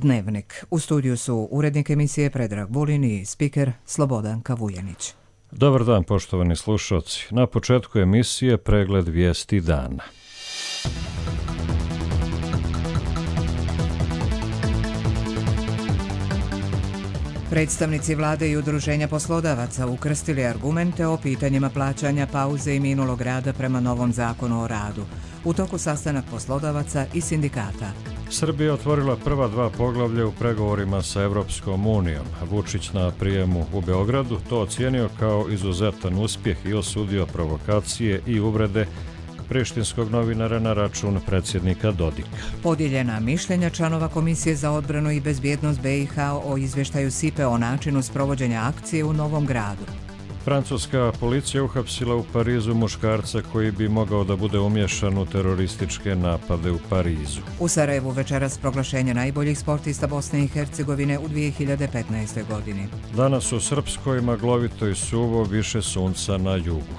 Dnevnik. U studiju su urednik emisije Predrag Vulin i spiker Slobodanka Vuljanić. Dobar dan, poštovani slušalci. Na početku emisije pregled vijesti dana. Predstavnici vlade i udruženja poslodavaca ukrstili argumente o pitanjima plaćanja pauze i minulog rada prema novom zakonu o radu. U toku sastanak poslodavaca i sindikata. Srbija otvorila prva 2 poglavlja u pregovorima sa Evropskom unijom. Vučić na prijemu u Beogradu to ocijenio kao izuzetan uspjeh i osudio provokacije i uvrede prištinskog novinara na račun predsjednika Dodika. Podijeljena mišljenja članova Komisije za odbranu i bezbjednost BiH o izvještaju SIPE o načinu sprovođenja akcije u Novom Gradu. Francuska policija uhapsila u Parizu muškarca koji bi mogao da bude umješan u terorističke napade u Parizu. U Sarajevu večeras proglašenje najboljih sportista Bosne i Hercegovine u 2015. godini. Danas u Srpskoj maglovito i suvo, više sunca na jugu.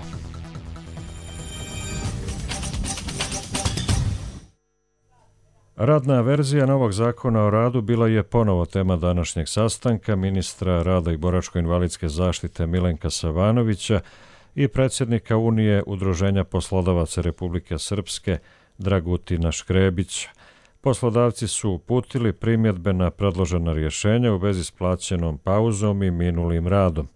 Radna verzija novog zakona o radu bila je ponovo tema današnjeg sastanka ministra rada i boračko-invalidske zaštite Milenka Savanovića i predsjednika Unije Udruženja poslodavaca Republike Srpske Dragutina Škrebića. Poslodavci su uputili primjedbe na predložena rješenja u vezi s plaćenom pauzom i minulim radom.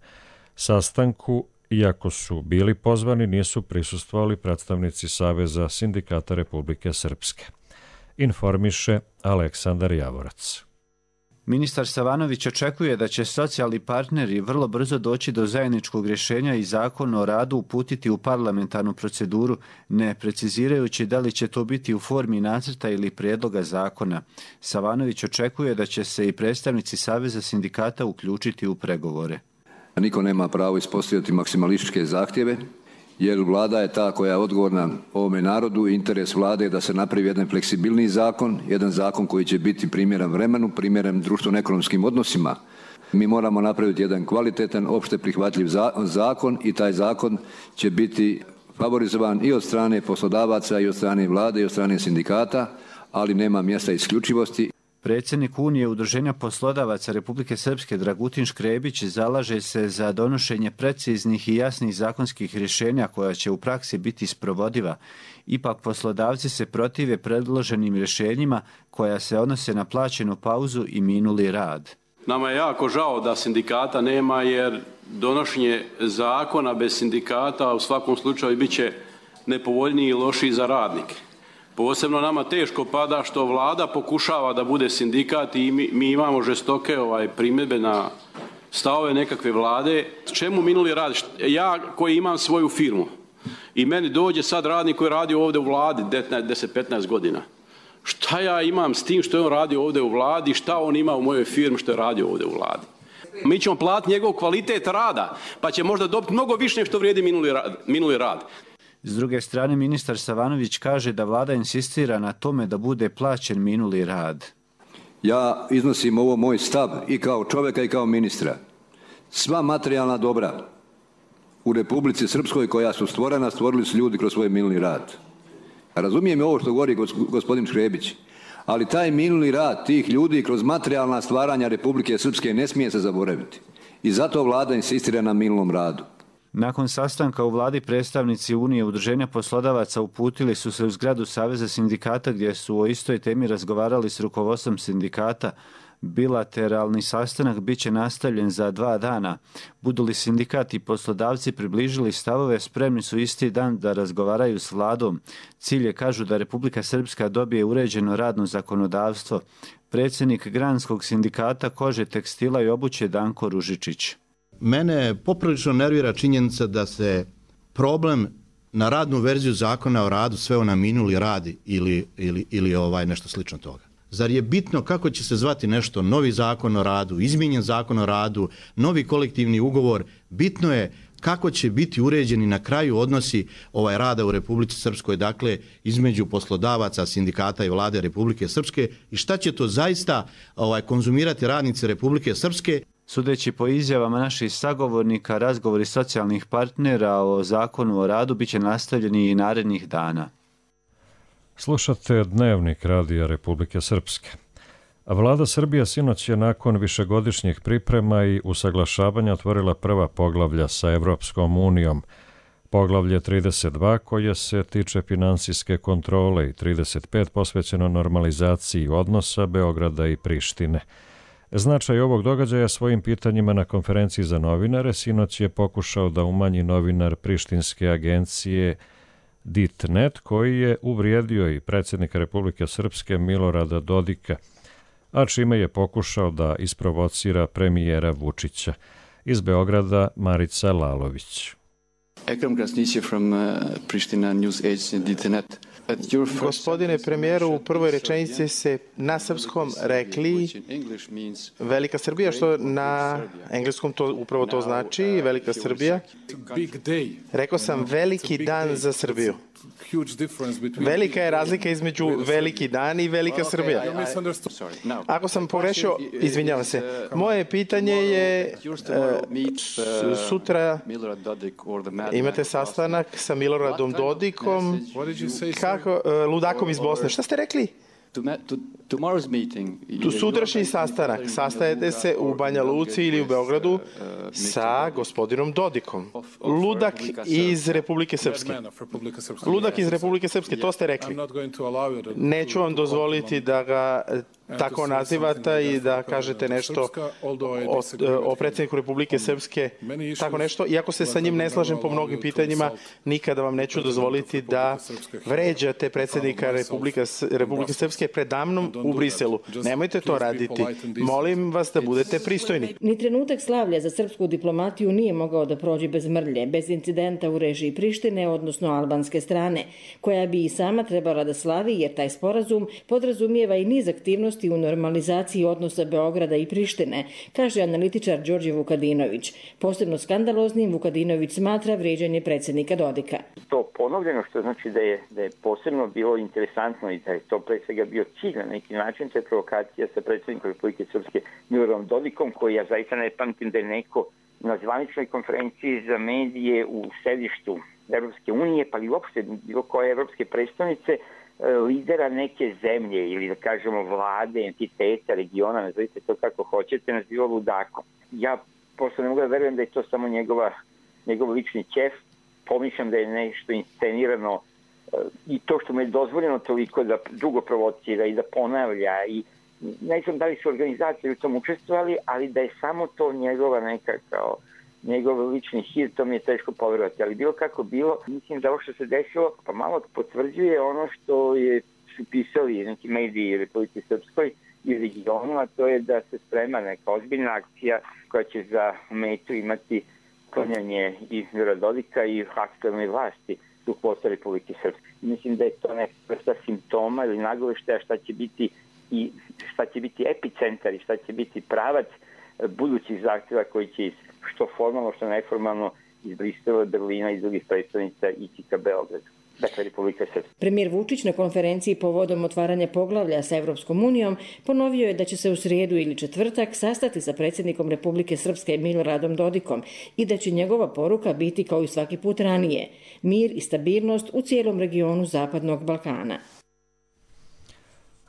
Sastanku, iako su bili pozvani, nisu prisustvovali predstavnici Saveza sindikata Republike Srpske. Informiše Aleksandar Javorac. Ministar Savanović očekuje da će socijalni partneri vrlo brzo doći do zajedničkog rješenja i zakon o radu uputiti u parlamentarnu proceduru, ne precizirajući da li će to biti u formi nacrta ili prijedloga zakona. Savanović očekuje da će se i predstavnici Saveza sindikata uključiti u pregovore. Niko nema pravo ispostavljati maksimalističke zahtjeve, jer vlada je ta koja je odgovorna ovome narodu i interes vlade je da se napravi jedan fleksibilniji zakon, jedan zakon koji će biti primjeren vremenu, primjeren društveno-ekonomskim odnosima. Mi moramo napraviti jedan kvalitetan, opšte prihvatljiv zakon i taj zakon će biti favorizovan i od strane poslodavaca i od strane vlade i od strane sindikata, ali nema mjesta isključivosti. Predsjednik Unije Udruženja poslodavaca Republike Srpske Dragutin Škrebić zalaže se za donošenje preciznih i jasnih zakonskih rješenja koja će u praksi biti sprovodiva. Ipak poslodavci se protive predloženim rješenjima koja se odnose na plaćenu pauzu i minuli rad. Nama je jako žao da sindikata nema, jer donošenje zakona bez sindikata u svakom slučaju bit će nepovoljniji i lošiji za radnike. Posebno nama teško pada što vlada pokušava da bude sindikat i mi imamo žestoke primjedbe na stavove nekakve vlade. Čemu minuli rad? Ja koji imam svoju firmu i meni dođe sad radnik koji radi ovdje u vladi 10-15 godina. Šta ja imam s tim što je on radio ovdje u vladi, šta on ima u mojoj firmi što je radio ovdje u vladi? Mi ćemo platiti njegov kvalitet rada, pa će možda dobiti mnogo više što vrijedi minuli rad. S druge strane, ministar Savanović kaže da vlada insistira na tome da bude plaćen minuli rad. Ja iznosim ovo moj stav i kao čovjeka i kao ministra. Sva materijalna dobra u Republici Srpskoj koja su stvorena, stvorili su ljudi kroz svoj minuli rad. Razumijem ovo što govori gospodin Škrebić, ali taj minuli rad tih ljudi kroz materijalna stvaranja Republike Srpske ne smije se zaboraviti. I zato vlada insistira na minulom radu. Nakon sastanka u vladi predstavnici Unije Udruženja poslodavaca uputili su se u zgradu Saveza sindikata gdje su o istoj temi razgovarali s rukovodstvom sindikata. Bilateralni sastanak bit će nastavljen za 2 dana. Budu li sindikat i poslodavci približili stavove, spremni su isti dan da razgovaraju s vladom. Cilj je, kažu, da Republika Srpska dobije uređeno radno zakonodavstvo. Predsjednik Granskog sindikata kože, tekstila i obuće Danko Ružičić. Mene poprilično nervira činjenica da se problem na radnu verziju zakona o radu sveo na minuli rad ili nešto slično toga. Zar je bitno kako će se zvati nešto, novi zakon o radu, izmijenjen zakon o radu, novi kolektivni ugovor? Bitno je kako će biti uređeni na kraju odnosi rada u Republici Srpskoj, dakle između poslodavaca, sindikata i vlade Republike Srpske, i šta će to zaista konzumirati radnici Republike Srpske. Sudeći po izjavama naših sagovornika, razgovori socijalnih partnera o zakonu o radu bit će nastavljeni i narednih dana. Slušate Dnevnik Radija Republike Srpske. Vlada Srbije sinoć je nakon višegodišnjih priprema i usaglašavanja otvorila prva poglavlja sa Evropskom unijom. Poglavlje 32 koje se tiče finansijske kontrole i 35 posvećeno normalizaciji odnosa Beograda i Prištine. Značaj ovog događaja svojim pitanjima na konferenciji za novinare sinoć je pokušao da umanji novinar prištinske agencije DIT.net koji je uvrijedio i predsjednika Republike Srpske Milorada Dodika, a čime je pokušao da isprovocira premijera Vučića. Iz Beograda Marica Lalović. Ekrem Krasnić from Pristina News Agency DIT.net. Gospodine premijeru, u prvoj rečenici se na srpskom rekli Velika Srbija, što na engleskom upravo to znači, Velika Srbija. Rekao sam veliki dan za Srbiju. Velika je razlika između veliki dan i Velika Srbija. Ako sam pogrešio, izvinjavam se. Moje pitanje je, sutra imate sastanak sa Miloradom Dodikom, ludakom iz Bosne. Šta ste rekli? Sutrašnji sastanak. Sastajete se u Banja Luci ili u Beogradu sa gospodinom Dodikom. Ludak iz Republike Srpske. Ludak iz Republike Srpske, to ste rekli. Neću vam dozvoliti da ga tako nazivate i da kažete nešto o predsjedniku Republike Srpske, tako nešto. Iako se sa njim ne slažem po mnogim pitanjima, nikada vam neću dozvoliti da vređate predsjednika Republike Srpske predamnom u Briselu. Nemojte to raditi. Molim vas da budete pristojni. Ni trenutak slavlja za srpsku diplomatiju nije mogao da prođe bez mrlje, bez incidenta u režiji Prištine, odnosno albanske strane, koja bi i sama trebala da slavi, jer taj sporazum podrazumijeva i niz aktivnosti u normalizaciji odnosa Beograda i Prištine, kaže analitičar Đorđe Vukadinović. Posebno skandaloznim Vukadinović smatra vrijeđanje predsjednika Dodika. To ponovljeno, što znači da je posebno bilo interesantno i da je to pre svega bio cilj na neki način, to je provokacija sa predsjednikom Republike Srpske Miloradom Dodikom, koji ja zaista ne pamtim da je neko na zvaničnoj konferenciji za medije u sedištu Evropske unije, pa i uopšte bilo koje evropske predstavnice, lidera neke zemlje ili da kažemo vlade, entiteta, regiona, nazovite to kako hoćete, nazivao ludakom. Ja prosto ne mogu da verujem da je to samo njegov lični ćef. Pomišljam da je nešto inscenirano i to što mu je dozvoljeno toliko da dugo provocira i da ponavlja i ne znam da li su organizacije u tom učestvovali, ali da je samo to njegova neka kao njegov lični hir, to mi je teško poverovati, ali bilo kako bilo, mislim da ovo što se desilo pa malo potvrđuje ono što su pisali neki mediji Republike Srpskoj i regionu, a to je da se sprema neka ozbiljna akcija koja će za metu imati sklanjanje i Milorada Dodika i aktuelne vlasti rukovodstva Republike Srpske. Mislim da je to neka vrsta simptoma ili nagoveštaja šta će biti epicentar i šta će biti pravac budućih zahtjeva koji će što formalno, što neformalno iz Brisela, Berlina i drugih predstavnica ići ka Beogradu. Dakle, Republika Srpska. Premijer Vučić na konferenciji povodom otvaranja poglavlja sa Evropskom unijom ponovio je da će se u srijedu ili četvrtak sastati sa predsjednikom Republike Srpske Miloradom Dodikom i da će njegova poruka biti kao i svaki put ranije, mir i stabilnost u cijelom regionu Zapadnog Balkana.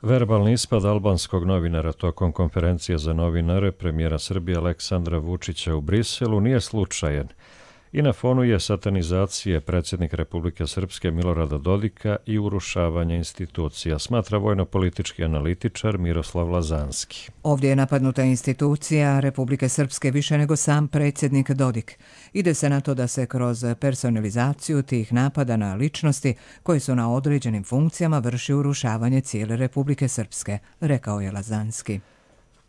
Verbalni ispad albanskog novinara tokom konferencije za novinare premijera Srbije Aleksandra Vučića u Briselu nije slučajan i na fonu je satanizacije predsjednika Republike Srpske Milorada Dodika i urušavanja institucija, smatra vojno-politički analitičar Miroslav Lazanski. Ovdje je napadnuta institucija Republike Srpske više nego sam predsjednik Dodik. Ide se na to da se kroz personalizaciju tih napada na ličnosti koji su na određenim funkcijama vrši urušavanje cijele Republike Srpske, rekao je Lazanski.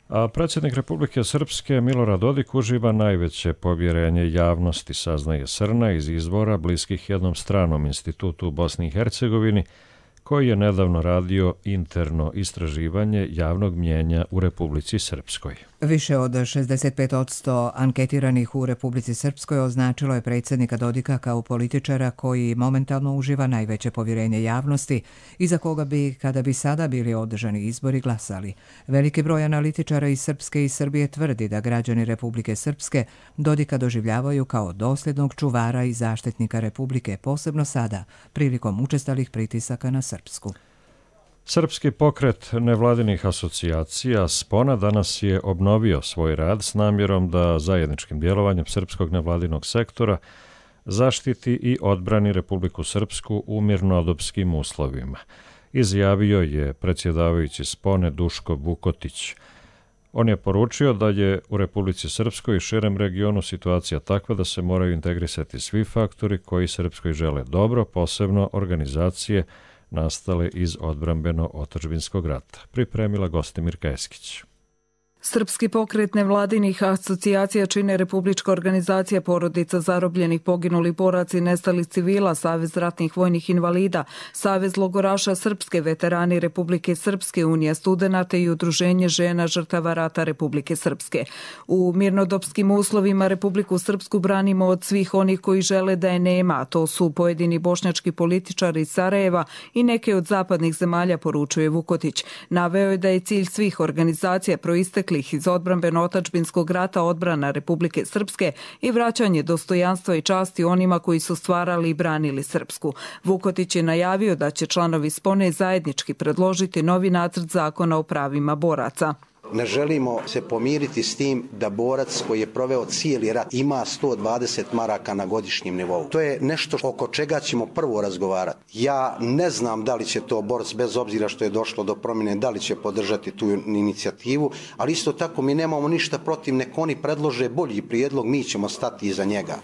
A predsjednik Republike Srpske Milorad Dodik uživa najveće povjerenje javnosti, saznaje Srna iz izvora bliskih jednom stranom institutu u Bosni i Hercegovini, koji je nedavno radio interno istraživanje javnog mnjenja u Republici Srpskoj. Više od 65% anketiranih u Republici Srpskoj označilo je predsjednika Dodika kao političara koji momentalno uživa najveće povjerenje javnosti i za koga bi, kada bi sada bili održani izbori, glasali. Veliki broj analitičara iz Srpske i Srbije tvrdi da građani Republike Srpske Dodika doživljavaju kao dosljednog čuvara i zaštitnika Republike, posebno sada, prilikom učestalih pritisaka na Srpsku. Srpski pokret nevladinih asocijacija Spona danas je obnovio svoj rad s namjerom da zajedničkim djelovanjem srpskog nevladinog sektora zaštiti i odbrani Republiku Srpsku u mirnodopskim uslovima, izjavio je predsjedavajući Spone Duško Vukotić. On je poručio da je u Republici Srpskoj i širem regionu situacija takva da se moraju integrisati svi faktori koji Srpskoj žele dobro, posebno organizacije nastale iz odbrambeno-otadžbinskog rata. Pripremila Gostimirka Eskić. Srpski pokret nevladinih asocijacija čine Republička organizacija porodica zarobljenih, poginulih boraca i nestalih civila, Savez ratnih vojnih invalida, Savez logoraša Srpske, veterani Republike Srpske, Unija studenata i Udruženje žena žrtava rata Republike Srpske. U mirnodopskim uslovima Republiku Srpsku branimo od svih onih koji žele da je nema, a to su pojedini bošnjački političari iz Sarajeva i neke od zapadnih zemalja, poručuje Vukotić. Naveo je da je cilj svih organizacija proistekli iz odbrambeno-otadžbinskog rata odbrana Republike Srpske i vraćanje dostojanstva i časti onima koji su stvarali i branili Srpsku. Vukotić je najavio da će članovi Spone zajednički predložiti novi nacrt zakona o pravima boraca. Ne želimo se pomiriti s tim da borac koji je proveo cijeli rat ima 120 maraka na godišnjem nivou. To je nešto oko čega ćemo prvo razgovarati. Ja ne znam da li će to borac, bez obzira što je došlo do promjene, da li će podržati tu inicijativu, ali isto tako mi nemamo ništa protiv, nek oni predlože bolji prijedlog, mi ćemo stati iza njega.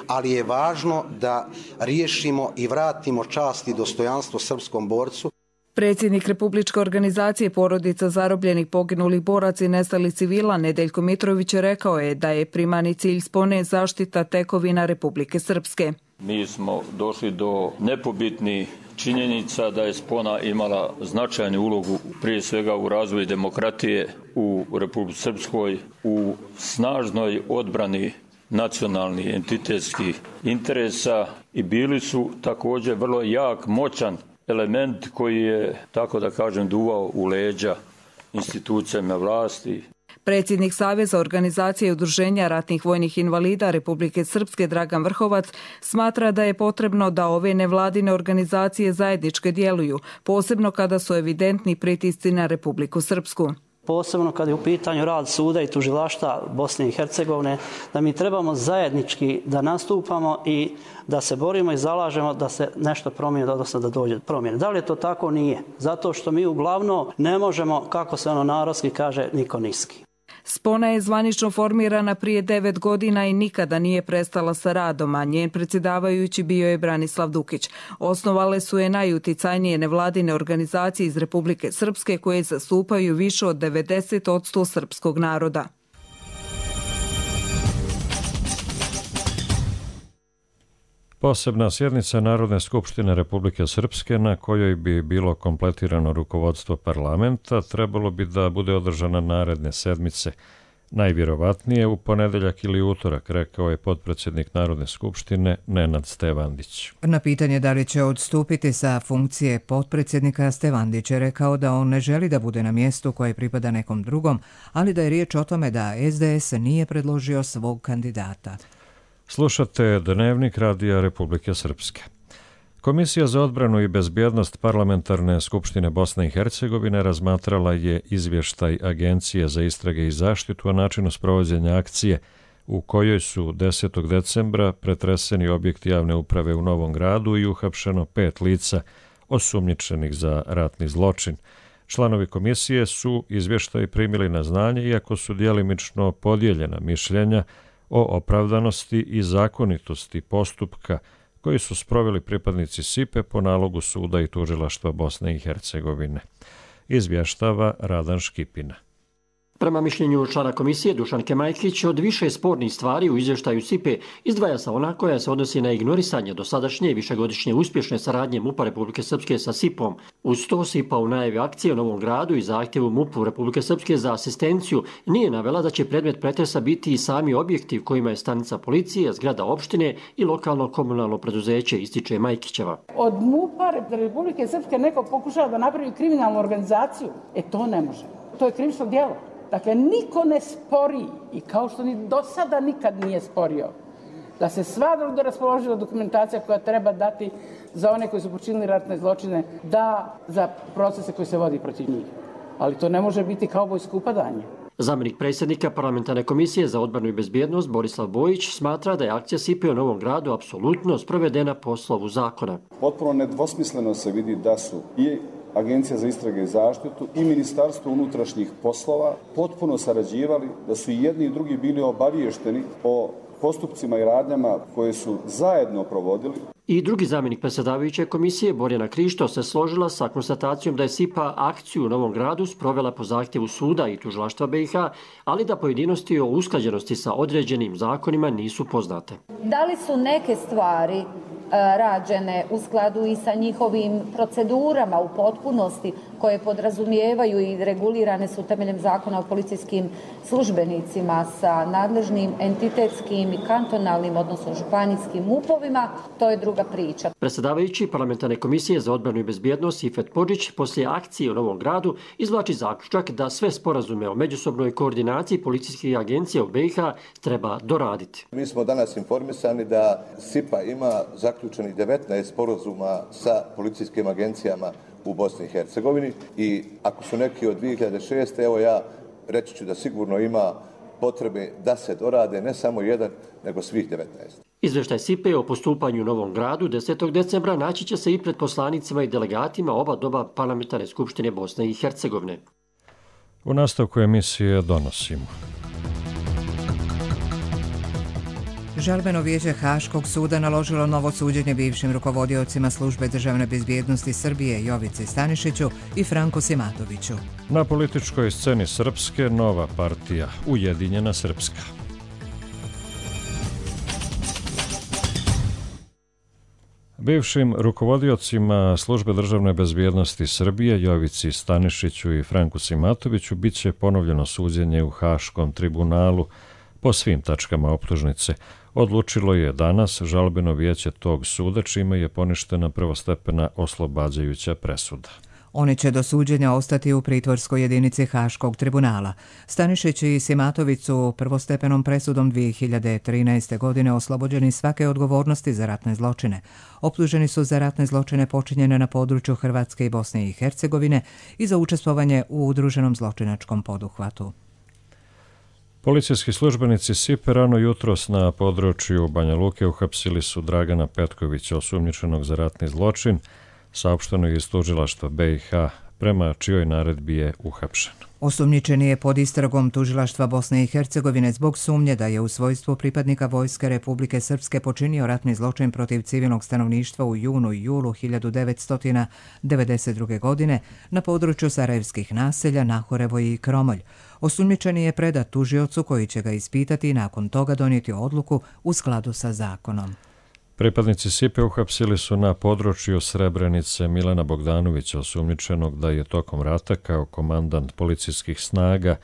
Ali je važno da riješimo i vratimo čast i dostojanstvo srpskom borcu. Predsjednik Republičke organizacije porodica zarobljenih, poginulih boraca i nestalih civila Nedeljko Mitrović rekao je da je primarni cilj Spone zaštita tekovina Republike Srpske. Mi smo došli do nepobitnih činjenica da je Spona imala značajnu ulogu prije svega u razvoju demokratije u Republici Srpskoj, u snažnoj odbrani nacionalnih entitetskih interesa i bili su također vrlo jak, moćan element koji je, tako da kažem, duvao u leđa institucijama vlasti. Predsjednik Saveza organizacije i udruženja ratnih vojnih invalida Republike Srpske Dragan Vrhovac smatra da je potrebno da ove nevladine organizacije zajedničke djeluju, posebno kada su evidentni pritisci na Republiku Srpsku. Posebno kad je u pitanju rad suda i tužilaštva Bosne i Hercegovine, da mi trebamo zajednički da nastupamo i da se borimo i zalažemo da se nešto promijeni, odnosno da dođe do promjene. Da li je to tako? Nije. Zato što mi uglavnom ne možemo, kako se ono narodski kaže, niko niski. Spona je zvanično formirana prije 9 godina i nikada nije prestala sa radom, a njen predsjedavajući bio je Branislav Dukić. Osnovale su je najuticajnije nevladine organizacije iz Republike Srpske koje zastupaju više od 90% srpskog naroda. Posebna sjednica Narodne skupštine Republike Srpske na kojoj bi bilo kompletirano rukovodstvo parlamenta trebalo bi da bude održana naredne sedmice. Najvjerovatnije u ponedeljak ili utorak, rekao je potpredsjednik Narodne skupštine Nenad Stevandić. Na pitanje da li će odstupiti sa funkcije potpredsjednika, Stevandić je rekao da on ne želi da bude na mjestu koje pripada nekom drugom, ali da je riječ o tome da SDS nije predložio svog kandidata. Slušate Dnevnik Radija Republike Srpske. Komisija za odbranu i bezbjednost Parlamentarne skupštine Bosne i Hercegovine razmatrala je izvještaj Agencije za istrage i zaštitu o načinu sprovođenja akcije u kojoj su 10. decembra pretreseni objekti javne uprave u Novom Gradu i uhapšeno 5 lica osumnjičenih za ratni zločin. Članovi komisije su izvještaj primili na znanje, iako su djelimično podijeljena mišljenja o opravdanosti i zakonitosti postupka koji su sproveli pripadnici SIPE po nalogu suda i tužilaštva Bosne i Hercegovine. Izvještava Radan Škipina. Prema mišljenju člana komisije Dušanke Majkić, od više spornih stvari u izvještaju SIPE izdvaja se ona koja se odnosi na ignorisanje dosadašnje i višegodišnje uspješne saradnje MUP-a Republike Srpske sa SIP-om. Uz to SIP-a u najavi akcije u Novom Gradu i zahtjevu MUP-u Republike Srpske za asistenciju nije navela da će predmet pretresa biti i sami objekti u kojima je stanica policije, zgrada opštine i lokalno komunalno preduzeće, ističe Majkićeva. Od MUP-a Republike Srpske neko pokušava da napravi kriminalnu organizaciju. To ne može. To je krivično djelo. Dakle, niko ne spori, i kao što ni do sada nikad nije sporio, da se sva raspoloživa dokumentacija koja treba dati za one koji su počinili ratne zločine, da za procese koji se vodi protiv njih. Ali to ne može biti kaubojsko upadanje. Zamjenik predsjednika Parlamentarne komisije za odbranu i bezbjednost Borislav Bojić smatra da je akcija SIPA u Novom Gradu apsolutno sprovedena po slovu zakona. Potpuno nedvosmisleno se vidi da su i Agencija za istrage i zaštitu i Ministarstvo unutrašnjih poslova potpuno sarađivali, da su i jedni i drugi bili obaviješteni o postupcima i radnjama koje su zajedno provodili. I drugi zamjenik predsjedavajuće komisije, Borjana Krišto, se složila sa konstatacijom da je SIPA akciju u Novom Gradu sprovela po zahtjevu suda i tužilaštva BiH, ali da pojedinosti o usklađenosti sa određenim zakonima nisu poznate. Da li su neke stvari rađene u skladu i sa njihovim procedurama u potpunosti koje podrazumijevaju i regulirane su temeljem zakona o policijskim službenicima sa nadležnim entitetskim i kantonalnim, odnosno županijskim MUP-ovima, to je druga priča. Predsjedavajući Parlamentarne komisije za odbranu i bezbjednost Ifet Podžić poslije akcije u Novom Gradu izvlači zaključak da sve sporazume o međusobnoj koordinaciji policijskih agencija u BiH treba doraditi. Mi smo danas informisani da SIPA ima zaključenih 19 sporazuma sa policijskim agencijama u Bosni i Hercegovini i ako su neki od 2006. evo ja reći ću da sigurno ima potrebe da se dorade ne samo jedan, nego svih 19. Izvještaj SIPA o postupanju u Novom Gradu 10. decembra naći će se i pred poslanicima i delegatima oba doba Parlamentarne skupštine Bosne i Hercegovine. U nastavku emisije donosimo. Žalbeno vijeće Haškog suda naložilo novo suđenje bivšim rukovodiocima Službe državne bezbjednosti Srbije Jovici Stanišiću i Franku Simatoviću. Na političkoj sceni Srpske nova partija Ujedinjena Srpska. Bivšim rukovodiocima Službe državne bezbjednosti Srbije Jovici Stanišiću i Franku Simatoviću bit će ponovljeno suđenje u Haškom tribunalu po svim tačkama optužnice. Odlučilo je danas žalbeno vijeće tog suda, čime je poništena prvostepena oslobađajuća presuda. Oni će do suđenja ostati u pritvorskoj jedinici Haškog tribunala. Stanišić i Simatović su prvostepenom presudom 2013. godine oslobođeni svake odgovornosti za ratne zločine. Optuženi su za ratne zločine počinjene na području Hrvatske i Bosne i Hercegovine i za učestvovanje u udruženom zločinačkom poduhvatu. Policijski službenici SIPA rano jutros na području Banja Luke uhapsili su Dragana Petkovića, osumnjičenog za ratni zločin, saopšteno je iz tužilaštva BiH, prema čijoj naredbi je uhapšen. Osumnjičeni je pod istragom tužilaštva Bosne i Hercegovine zbog sumnje da je u svojstvu pripadnika Vojske Republike Srpske počinio ratni zločin protiv civilnog stanovništva u junu i julu 1992. godine na području sarajevskih naselja Nahorevo i Kromolj. Osumnjičeni je predat tužiocu koji će ga ispitati i nakon toga donijeti odluku u skladu sa zakonom. Pripadnici SIPA uhapsili su na području Srebrenice Milana Bogdanovića, osumnjičenog da je tokom rata kao komandant policijskih snaga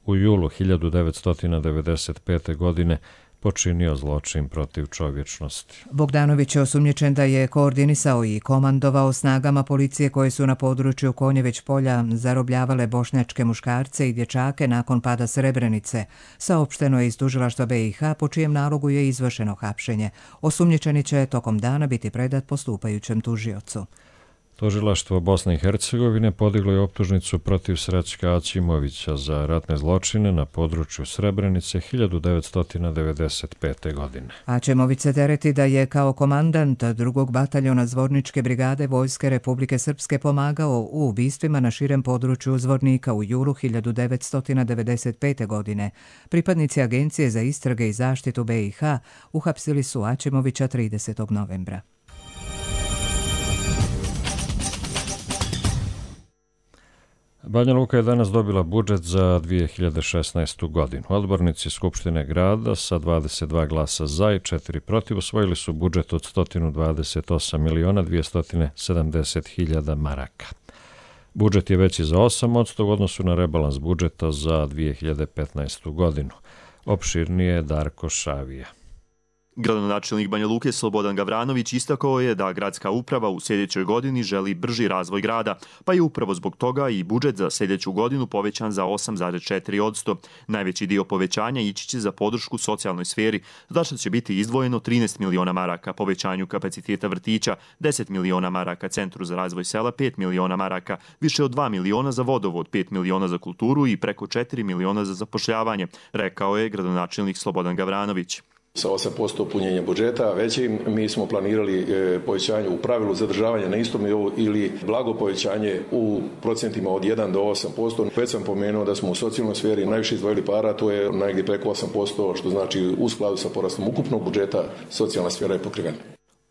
u julu 1995. godine počinio zločin protiv čovječnosti. Bogdanović je osumnjičen da je koordinisao i komandovao snagama policije koje su na području Konjeveć polja zarobljavale bošnjačke muškarce i dječake nakon pada Srebrenice. Saopšteno je iz tužilaštva BiH, po čijem nalogu je izvršeno hapšenje. Osumnjičeni će tokom dana biti predat postupajućem tužiocu. Tužilaštvo Bosne i Hercegovine podiglo je optužnicu protiv Srećka Aćimovića za ratne zločine na području Srebrenice 1995. godine. Aćimović se tereti da je kao komandant 2. bataljona Zvorničke brigade Vojske Republike Srpske pomagao u ubistvima na širem području Zvornika u julu 1995. godine. Pripadnici Agencije za istrage i zaštitu BiH uhapsili su Aćimovića 30. novembra. Banja Luka je danas dobila budžet za 2016. godinu. Odbornici Skupštine grada sa 22 glasa za i 4 protiv usvojili su budžet od 128.270.000 maraka. Budžet je veći za 8% u odnosu na rebalans budžeta za 2015. godinu. Opširnije je Darko Šavija. Gradonačelnik Banja Luke Slobodan Gavranović istakao je da gradska uprava u sljedećoj godini želi brži razvoj grada, pa je upravo zbog toga i budžet za sljedeću godinu povećan za 8,4%. Najveći dio povećanja ići će za podršku socijalnoj sferi, za što će biti izdvojeno 13 miliona maraka povećanju kapaciteta vrtića, 10 miliona maraka Centru za razvoj sela, 5 miliona maraka, više od 2 miliona za vodovod, 5 miliona za kulturu i preko 4 miliona za zapošljavanje, rekao je gradonačelnik Slobodan Gavranović. Sa 8% punjenja budžeta većim mi smo planirali povećanje u pravilu zadržavanja na istom nivou ili blago povećanje u procentima od 1 do 8%. Već sam pomenuo da smo u socijalnoj sferi najviše izdvojili para, to je negdje preko 8%, što znači u skladu sa porastom ukupnog budžeta socijalna sfera je pokrivena.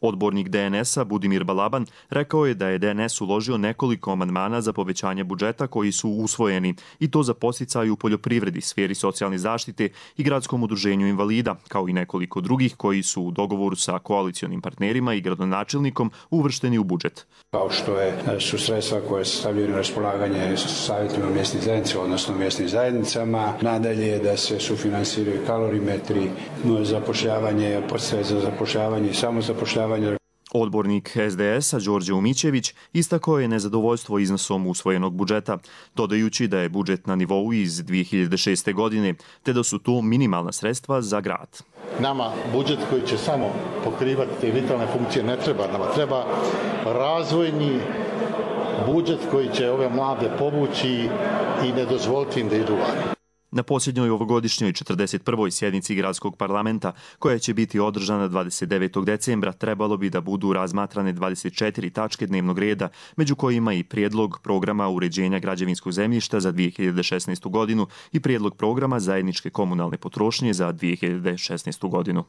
Odbornik DNS-a Budimir Balaban rekao je da je DNS uložio nekoliko amandmana za povećanje budžeta koji su usvojeni i to za podsticaj u poljoprivredi, sferi socijalne zaštite i gradskom udruženju invalida, kao i nekoliko drugih koji su u dogovoru sa koalicionim partnerima i gradonačelnikom uvršteni u budžet. Kao što su sredstva koje se stavljaju na raspolaganje savjetima mjesnih zajednica, odnosno mjesnim zajednicama, nadalje da se sufinansiraju kalorimetri, zapošljavanje, podsticaje za zapošljavanje i samozapošljavanje. Odbornik SDS-a Đorđe Umićević istakao je nezadovoljstvo iznosom usvojenog budžeta, dodajući da je budžet na nivou iz 2006. godine, te da su to minimalna sredstva za grad. Nama budžet koji će samo pokrivati te vitalne funkcije ne treba, nama treba razvojni budžet koji će ove mlade povući i ne dozvoliti im da idu van. Na posljednjoj ovogodišnjoj 41. sjednici gradskog parlamenta, koja će biti održana 29. decembra, trebalo bi da budu razmatrane 24 tačke dnevnog reda, među kojima i prijedlog programa uređenja građevinskog zemljišta za 2016. godinu i prijedlog programa zajedničke komunalne potrošnje za 2016. godinu.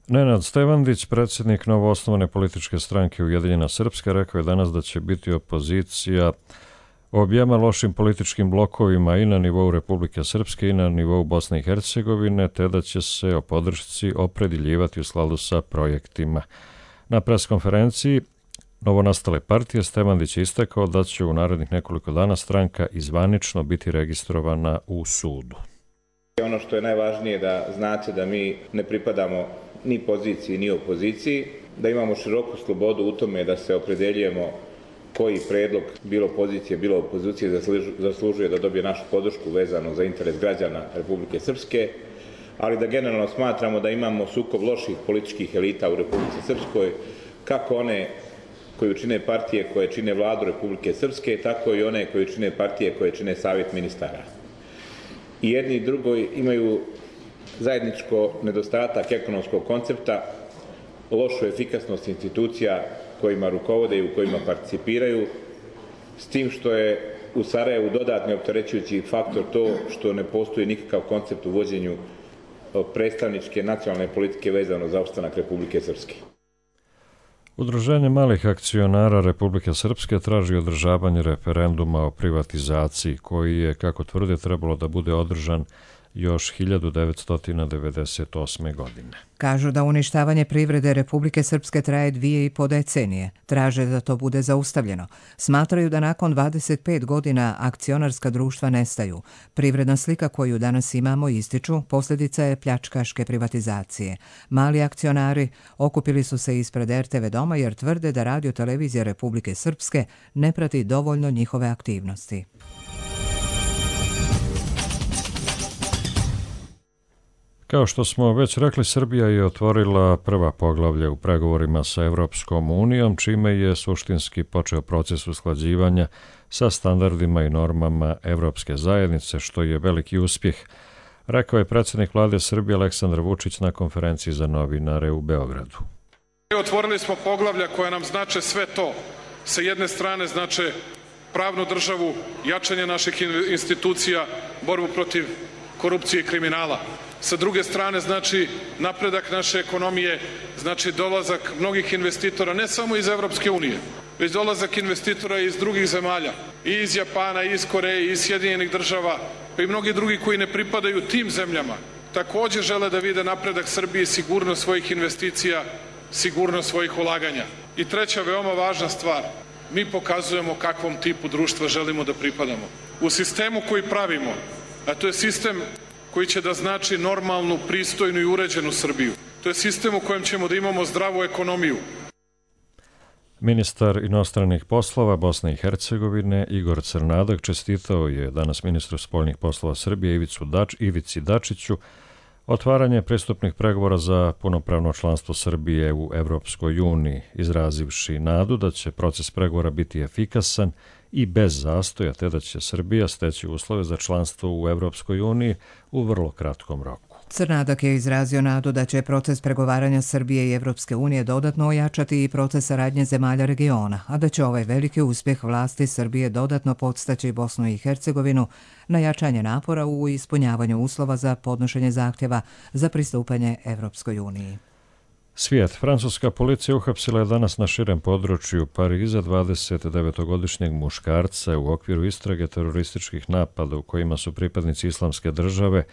Nenad Stevandić, predsjednik novoosnovane političke stranke Ujedinjena Srpska, rekao je danas da će biti opozicija objema lošim političkim blokovima i na nivou Republike Srpske i na nivou Bosne i Hercegovine, te da će se o podršci opredjeljivati u skladu sa projektima. Na preskonferenciji novonastale partije Stevandić je istakao da će u narednih nekoliko dana stranka izvanično biti registrovana u sudu. Ono što je najvažnije da znate da mi ne pripadamo ni poziciji ni opoziciji, da imamo široku slobodu u tome da se opredeljujemo koji predlog, bilo pozicije, bilo opozicije, zaslužuje da dobije našu podršku vezano za interes građana Republike Srpske, ali da generalno smatramo da imamo sukob loših političkih elita u Republici Srpskoj, kako one koji čine partije koje čine vladu Republike Srpske, tako i one koji čine partije koje čine savjet ministara. I jedni i drugi imaju zajedničko nedostatak ekonomskog koncepta, lošu efikasnost institucija kojima rukovode i u kojima participiraju, s tim što je u Sarajevu dodatni opterećujući faktor to što ne postoji nikakav koncept u vođenju predstavničke nacionalne politike vezano za opstanak Republike Srpske. Udruženje malih akcionara Republike Srpske traži održavanje referenduma o privatizaciji, koji je, kako tvrde, trebalo da bude održan još 1998. godine. Kažu da uništavanje privrede Republike Srpske traje 2,5 decenije. Traže da to bude zaustavljeno. Smatraju da nakon 25 godina akcionarska društva nestaju. Privredna slika koju danas imamo, ističu, posljedica je pljačkaške privatizacije. Mali akcionari okupili su se ispred RTV doma jer tvrde da Radio televizija Republike Srpske ne prati dovoljno njihove aktivnosti. Kao što smo već rekli, Srbija je otvorila prva poglavlja u pregovorima sa Evropskom unijom, čime je suštinski počeo proces usklađivanja sa standardima i normama Evropske zajednice, što je veliki uspjeh, rekao je predsjednik vlade Srbije Aleksandar Vučić na konferenciji za novinare u Beogradu. Otvorili smo poglavlja koja nam znače sve to. Sa jedne strane znače pravnu državu, jačanje naših institucija, borbu protiv korupcije i kriminala. Sa druge strane znači napredak naše ekonomije, znači dolazak mnogih investitora, ne samo iz Evropske unije, već dolazak investitora iz drugih zemalja, i iz Japana, i iz Koreje, i iz Sjedinjenih država, pa i mnogi drugi koji ne pripadaju tim zemljama, također žele da vide napredak Srbije, sigurnost svojih investicija, sigurnost svojih ulaganja. I treća veoma važna stvar, mi pokazujemo kakvom tipu društva želimo da pripadamo. U sistemu koji pravimo, a to je sistem koji će da znači normalnu, pristojnu i uređenu Srbiju. To je sistem u kojem ćemo da imamo zdravu ekonomiju. Ministar inostranih poslova Bosne i Hercegovine Igor Crnadak čestitao je danas ministru spoljnih poslova Srbije Ivici Dačiću otvaranje pristupnih pregovora za punopravno članstvo Srbije u Evropskoj uniji, izrazivši nadu da će proces pregovora biti efikasan i bez zastoja, te da će Srbija steći uslove za članstvo u Evropskoj uniji u vrlo kratkom roku. Crnadak je izrazio nadu da će proces pregovaranja Srbije i Evropske unije dodatno ojačati i proces saradnje zemalja regiona, a da će ovaj veliki uspjeh vlasti Srbije dodatno podstaći Bosnu i Hercegovinu na jačanje napora u ispunjavanju uslova za podnošenje zahtjeva za pristupanje Evropskoj uniji. Svijet. Francuska policija uhapsila je danas na širem području Pariza 29-godišnjeg muškarca u okviru istrage terorističkih napada u kojima su pripadnici Islamske države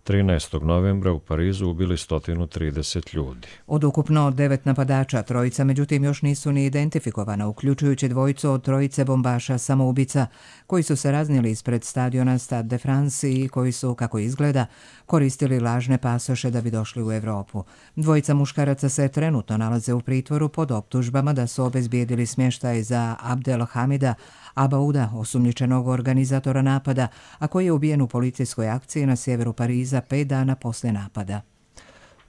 13. novembra u Parizu ubili 130 ljudi. Od ukupno 9 napadača, trojica međutim još nisu ni identifikovana, uključujući dvojicu od trojice bombaša samoubica koji su se raznijeli ispred stadiona Stade de France i koji su, kako izgleda, koristili lažne pasoše da bi došli u Evropu. Dvojica muškaraca se trenutno nalaze u pritvoru pod optužbama da su obezbijedili smještaj za Abdelhamida Abauda, osumnjičenog organizatora napada, a koji je ubijen u policijskoj akciji na sjeveru Pariza 5 dana poslije napada.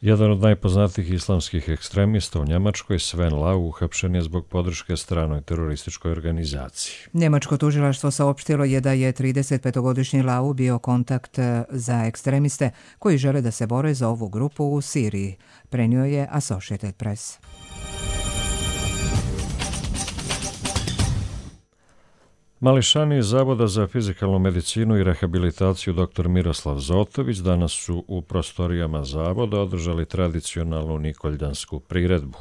Jedan od najpoznatijih islamskih ekstremista u Njemačkoj, Sven Lau, uhapšen je zbog podrške stranoj terorističkoj organizaciji. Njemačko tužilaštvo saopštilo je da je 35-godišnji Lau bio kontakt za ekstremiste koji žele da se bore za ovu grupu u Siriji, prenio je Associated Press. Mališani iz Zavoda za fizikalnu medicinu i rehabilitaciju dr. Miroslav Zotović danas su u prostorijama Zavoda održali tradicionalnu nikoljansku priredbu.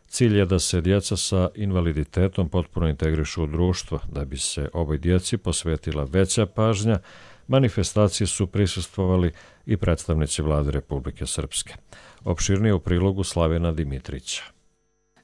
Cilj je da se djeca sa invaliditetom potpuno integrišu u društvo. Da bi se ovoj djeci posvetila veća pažnja, manifestacije su prisustvovali i predstavnici Vlade Republike Srpske. Opširnije u prilogu Slavena Dimitrića.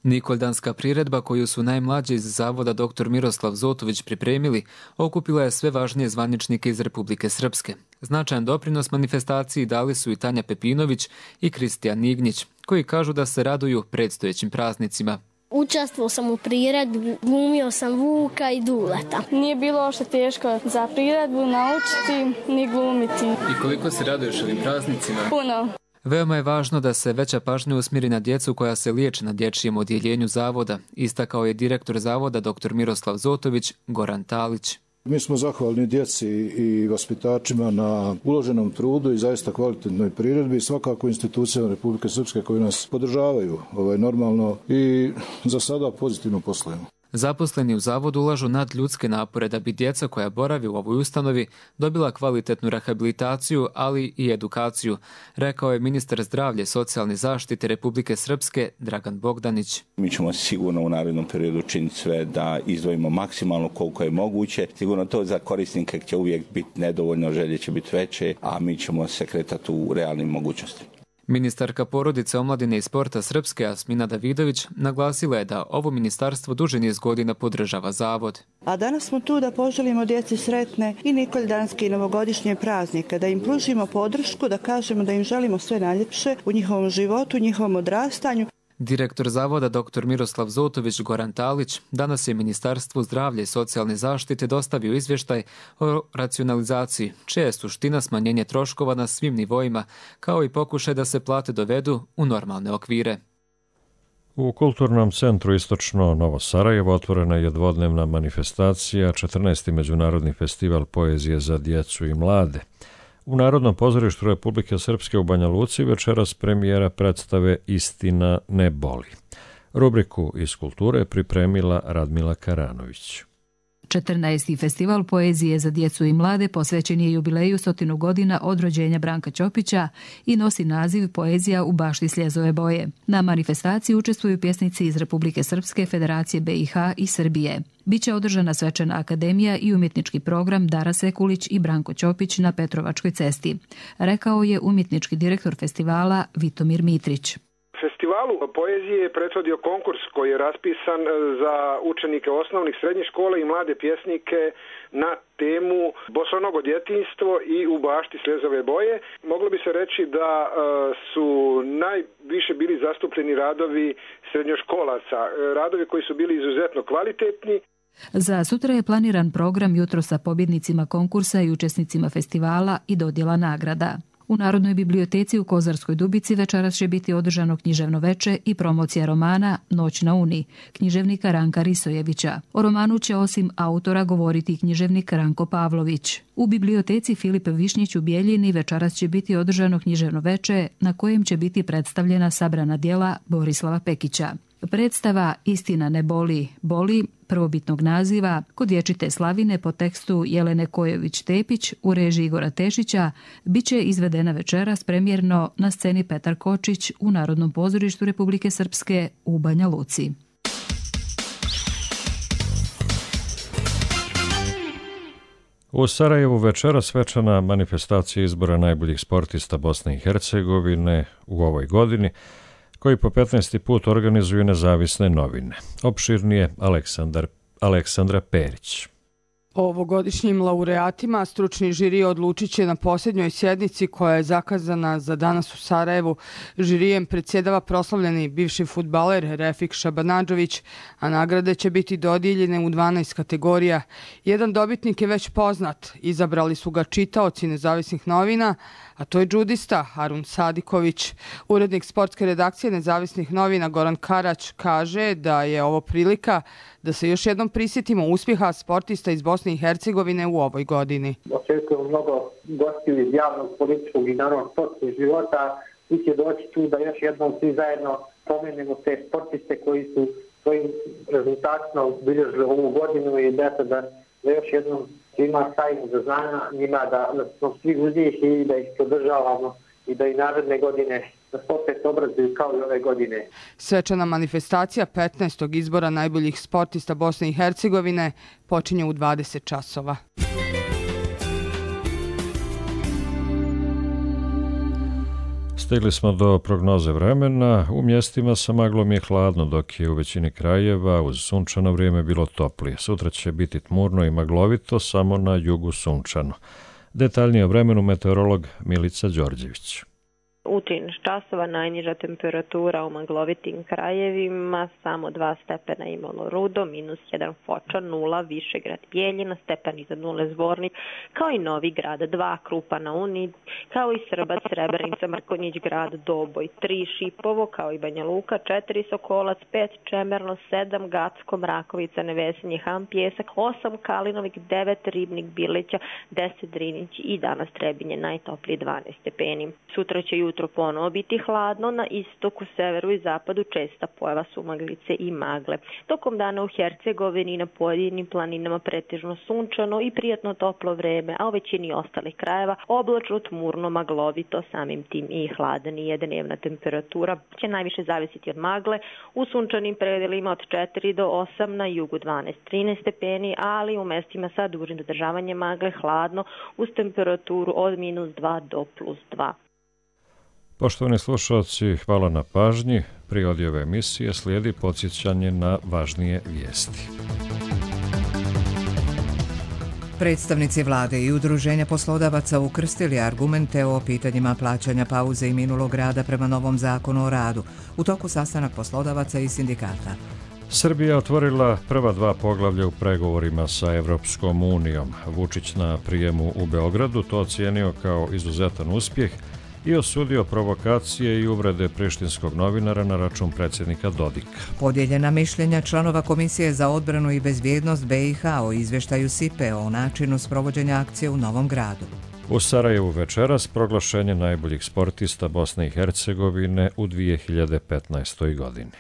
Nikoldanska priredba koju su najmlađi iz Zavoda dr. Miroslav Zotović pripremili okupila je sve važnije zvaničnike iz Republike Srpske. Značajan doprinos manifestaciji dali su i Tanja Pepinović i Kristijan Nignjić, koji kažu da se raduju predstojećim praznicima. Učestvovao sam u priredbi, glumio sam Vuka i Duleta. Nije bilo uopšte teško za priredbu naučiti ni glumiti. I koliko se raduješ ovim praznicima? Puno. Veoma je važno da se veća pažnja usmjeri na djecu koja se liječe na dječjem odjeljenju Zavoda, istakao je direktor Zavoda dr. Miroslav Zotović, Goran Talić. Mi smo zahvalni djeci i vaspitačima na uloženom trudu i zaista kvalitetnoj priredbi, svakako institucijama Republike Srpske koji nas podržavaju normalno i za sada pozitivno poslujemo. Zaposleni u Zavodu ulažu nadljudske napore da bi djeca koja boravi u ovoj ustanovi dobila kvalitetnu rehabilitaciju, ali i edukaciju, rekao je ministar zdravlja i socijalne zaštite Republike Srpske Dragan Bogdanić. Mi ćemo sigurno u narednom periodu činiti sve da izdvojimo maksimalno koliko je moguće. Sigurno to za korisnike će uvijek biti nedovoljno, želje će biti veće, a mi ćemo se kretati u realnim mogućnostima. Ministarka porodice, omladine i sporta Srpske Asmina Davidović naglasila je da ovo ministarstvo duži niz godina podržava Zavod. A danas smo tu da poželimo djeci sretne i nikoldanske i novogodišnje praznike, da im pružimo podršku, da kažemo da im želimo sve najljepše u njihovom životu, u njihovom odrastanju. Direktor Zavoda dr. Miroslav Zotović Goran Talić danas je Ministarstvu zdravlja i socijalne zaštite dostavio izvještaj o racionalizaciji, čija je suština smanjenje troškova na svim nivoima, kao i pokušaj da se plate dovedu u normalne okvire. U Kulturnom centru Istočno Novo Sarajevo otvorena je dvodnevna manifestacija 14. Međunarodni festival poezije za djecu i mlade. U Narodnom pozorištu Republike Srpske u Banja Luci večeras premijera predstave Istina ne boli. Rubriku iz kulture pripremila Radmila Karanović. 14. festival poezije za djecu i mlade posvećen je jubileju 100 godina od rođenja Branka Ćopića i nosi naziv Poezija u bašti sljezove boje. Na manifestaciji učestvuju pjesnici iz Republike Srpske, Federacije BiH i Srbije. Biće održana svečana akademija i umjetnički program Dara Sekulić i Branko Ćopić na Petrovačkoj cesti, rekao je umjetnički direktor festivala Vitomir Mitrić. Festivalu poezije je prethodio konkurs koji je raspisan za učenike osnovnih, srednjih škola i mlade pjesnike na temu Bosonogo djetinjstvo i U bašti slezove boje. Moglo bi se reći da su najviše bili zastupljeni radovi srednjoškolaca, radovi koji su bili izuzetno kvalitetni. Za sutra je planiran program jutro sa pobjednicima konkursa i učesnicima festivala i dodjela nagrada. U Narodnoj biblioteci u Kozarskoj Dubici večeras će biti održano književno veče i promocija romana Noć na Uni, književnika Ranka Risojevića. O romanu će osim autora govoriti književnik Ranko Pavlović. U biblioteci Filip Višnjić u Bijeljini večeras će biti održano književno veče na kojem će biti predstavljena sabrana djela Borislava Pekića. Predstava Istina ne boli, boli, prvobitnog naziva, kod dječite slavine po tekstu Jelene Kojović-Tepić u režiji Igora Tešića, bit će izvedena večeras premijerno na sceni Petar Kočić u Narodnom pozorištu Republike Srpske u Banja Luci. U Sarajevu večeras svečana manifestacija izbora najboljih sportista Bosne i Hercegovine u ovoj godini, koji po 15. put organizuju nezavisne novine. Opširnije Aleksandra Perić. O ovogodišnjim laureatima stručni žiri odlučit će na posljednjoj sjednici koja je zakazana za danas u Sarajevu. Žirijem predsjedava proslavljeni bivši fudbaler Refik Šabanadžović, a nagrade će biti dodijeljene u 12 kategorija. Jedan dobitnik je već poznat. Izabrali su ga čitaoci nezavisnih novina, a to je džudista Harun Sadiković. Urednik sportske redakcije nezavisnih novina Goran Karać kaže da je ovo prilika da se još jednom prisjetimo uspjeha sportista iz Bosne i Hercegovine u ovoj godini. Očekujemo mnogo gostiju iz javnog, političkog i naravno sportskog života. Svi će doći tu da još jednom svi zajedno pomenemo te sportiste koji su svojim rezultatima obilježili ovu godinu i da još jednom svima stavimo do znanja njima da smo svi uzdiši i da ih podržavamo i da i naredne godine da se opet obrazuju kao i ove godine. Svečana manifestacija 15. izbora najboljih sportista Bosne i Hercegovine počinje u 20 časova. Stigli smo do prognoze vremena. U mjestima sa maglom je hladno, dok je u većini krajeva uz sunčano vrijeme bilo toplije. Sutra će biti tmurno i maglovito, samo na jugu sunčano. Detaljnije o vremenu meteorolog Milica Đorđević. U 13 časova najniža temperatura u maglovitim krajevima, samo 2 stepena imalo Rudo, -1 Foča, 0 Višegrad Bijeljina, stepen iznad 0 Zvornik, kao i Novi Grad 2 Krupa na Uni, kao i Srbac, Srebrenica, Mrkonjić Grad, Doboj 3 Šipovo, kao i Banja Luka 4 Sokolac, 5 Čemerno, 7 Gacko, Mrakovica, Nevesinje, Ham, Pjesak, 8 Kalinovik, 9 Ribnik, Bileća, 10 Drinić i danas Trebinje najtoplije 12 stepeni. Sutra će jutro ponovo biti hladno, na istoku, severu i zapadu česta pojava sumaglice i magle. Tokom dana u Hercegovini i na pojedinim planinama pretežno sunčano i prijatno toplo vreme, a u većini ostalih krajeva oblačno, tmurno, maglovito, samim tim i hladnije. Dnevna temperatura će najviše zavisiti od magle, u sunčanim predelima od 4 do 8, na jugu 12-13 stepeni, ali u mestima sa dužim zadržavanjem magle hladno uz temperaturu od -2 do +2. Poštovani slušalci, hvala na pažnji. Pri ove emisije slijedi podsjećanje na važnije vijesti. Predstavnici vlade i udruženja poslodavaca ukrstili argumente o pitanjima plaćanja pauze i minulog rada prema novom zakonu o radu. U toku sastanak poslodavaca i sindikata. Srbija otvorila prva 2 poglavlja u pregovorima sa Evropskom unijom. Vučić na prijemu u Beogradu to ocijenio kao izuzetan uspjeh i osudio provokacije i uvrede prištinskog novinara na račun predsjednika Dodika. Podijeljena mišljenja članova Komisije za odbranu i bezbjednost BiH o izvještaju SIPE o načinu sprovođenja akcije u Novom Gradu. U Sarajevu večeras proglašenje najboljih sportista Bosne i Hercegovine u 2015. godini.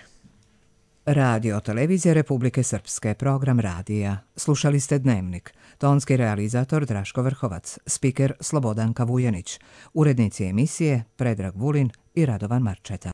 Radio Televizija Republike Srpske, program radija. Slušali ste Dnevnik. Tonski realizator Draško Vrhovac, spiker Slobodanka Vujanić, urednici emisije Predrag Vulin i Radovan Marčeta.